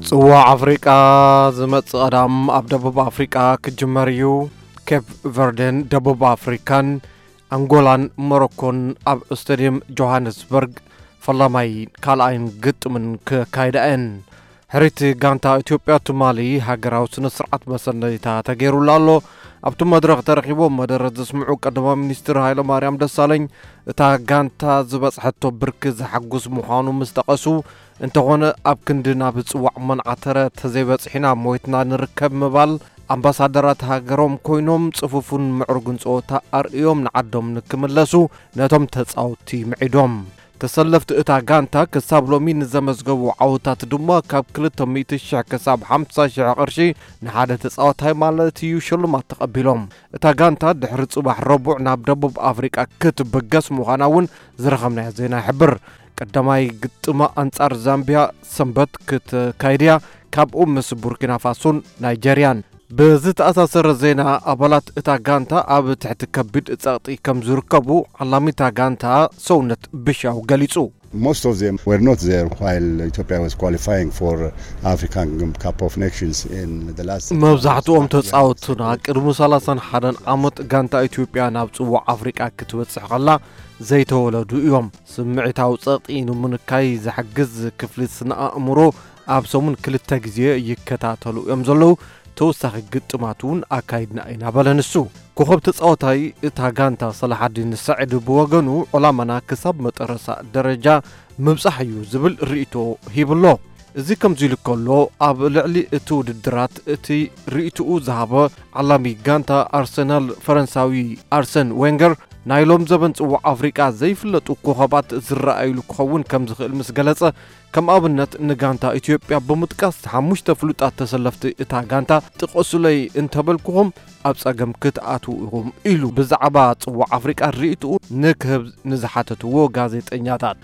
ጽዋዕ ኣፍሪቃ ዝመጽእ ቀዳም ኣብ ደቡብ ኣፍሪቃ ክጅመር እዩ። ኬፕ ቨርደን ደቡብ ኣፍሪካን ኣንጎላን ሞሮኮን ኣብ ስቴድየም ጆሃንስበርግ ፈላማይ ካልኣይን ግጥምን ክካይዳ እየን። ሕሪት ጋንታ ኢትዮጵያ ትማሊ ሃገራዊ ስነ ስርዓት መሰነይታ ተገይሩላ ኣሎ። ኣብቲ መድረኽ ተረኺቦም መደረ ዘስምዑ ቀዳማይ ሚኒስትር ሃይለማርያም ደሳለኝ እታ ጋንታ ዝበጽሐቶ ብርኪ ዘሓጉስ ምዃኑ ምስ ጠቐሱ፣ እንተኾነ ኣብ ክንዲ ናብ ጽዋዕ መናዓተረ ተዘይበጽሒና ሞይትና ንርከብ ምባል ኣምባሳደራት ሃገሮም ኮይኖም ጽፉፉን ምዕሩግን ጸወታ ኣርእዮም ንዓዶም ንክምለሱ ነቶም ተጻወትቲ ምዒዶም። ተሰለፍቲ እታ ጋንታ ክሳብ ሎሚ ንዘመዝገቡ ዓወታት ድማ ካብ ክልተ ሚእቲ ሽሕ ክሳብ ሓምሳ ሽሕ ቅርሺ ንሓደ ተጻዋታይ ማለት እዩ ሽልማት ተቐቢሎም። እታ ጋንታ ድሕሪ ጽባሕ ረቡዕ ናብ ደቡብ ኣፍሪቃ ክትብገስ ምዃና እውን ዝረኸብናዮ ዜና ይሕብር። ቀዳማይ ግጥማ ኣንጻር ዛምቢያ ሰንበት ክትካይድ እያ። ካብኡ ምስ ቡርኪና ፋሶን ናይጀርያን። ብዝተኣሳሰረ ዜና ኣባላት እታ ጋንታ ኣብ ትሕቲ ከቢድ ጸቕጢ ከም ዝርከቡ ዓላሚታ ጋንታ ሰውነት ብሻው ገሊጹ። Most of them were not there while Ethiopia was qualifying for African Cup of Nations in the last መብዛሕትኦም ተጻወቱና ቅድሚ ሰላሳን ሓደን ዓመት ጋንታ ኢትዮጵያ ናብ ጽዋዕ ኣፍሪቃ ክትበጽሕ ከላ ዘይተወለዱ እዮም። ስምዒታዊ ጸቕጢ ንምንካይ ዝሕግዝ ክፍሊ ስነ ኣእምሮ ኣብ ሰሙን ክልተ ግዜ ይከታተሉ እዮም ዘለዉ። ተወሳኺ ግጥማት እውን ኣካይድና ኢና በለ ንሱ። ኮኸብ ተጻዋታይ እታ ጋንታ ሰላሓዲን ሰዒድ ብወገኑ፣ ዕላማና ክሳብ መጠረሳ ደረጃ ምብጻሕ እዩ ዝብል ርእይቶ ሂብሎ። እዚ ከምዚ ኢሉ ከሎ፣ ኣብ ልዕሊ እቲ ውድድራት እቲ ርእይትኡ ዝሃበ ዓላሚ ጋንታ ኣርሰናል ፈረንሳዊ ኣርሰን ዌንገር፣ ናይ ሎም ዘበን ጽዋዕ ኣፍሪቃ ዘይፍለጡ ኮኸባት ዝረኣዩሉ ክኸውን ከም ዝኽእል ምስ ገለጸ፣ ከም ኣብነት ንጋንታ ኢትዮጵያ ብምጥቃስ ሓሙሽተ ፍሉጣት ተሰለፍቲ እታ ጋንታ ጥቐሱለይ እንተበልኩኹም ኣብ ጸገም ክትኣትዉ ኢኹም ኢሉ ብዛዕባ ጽዋዕ ኣፍሪቃ ርእይትኡ ንክህብ ንዝሓተትዎ ጋዜጠኛታት።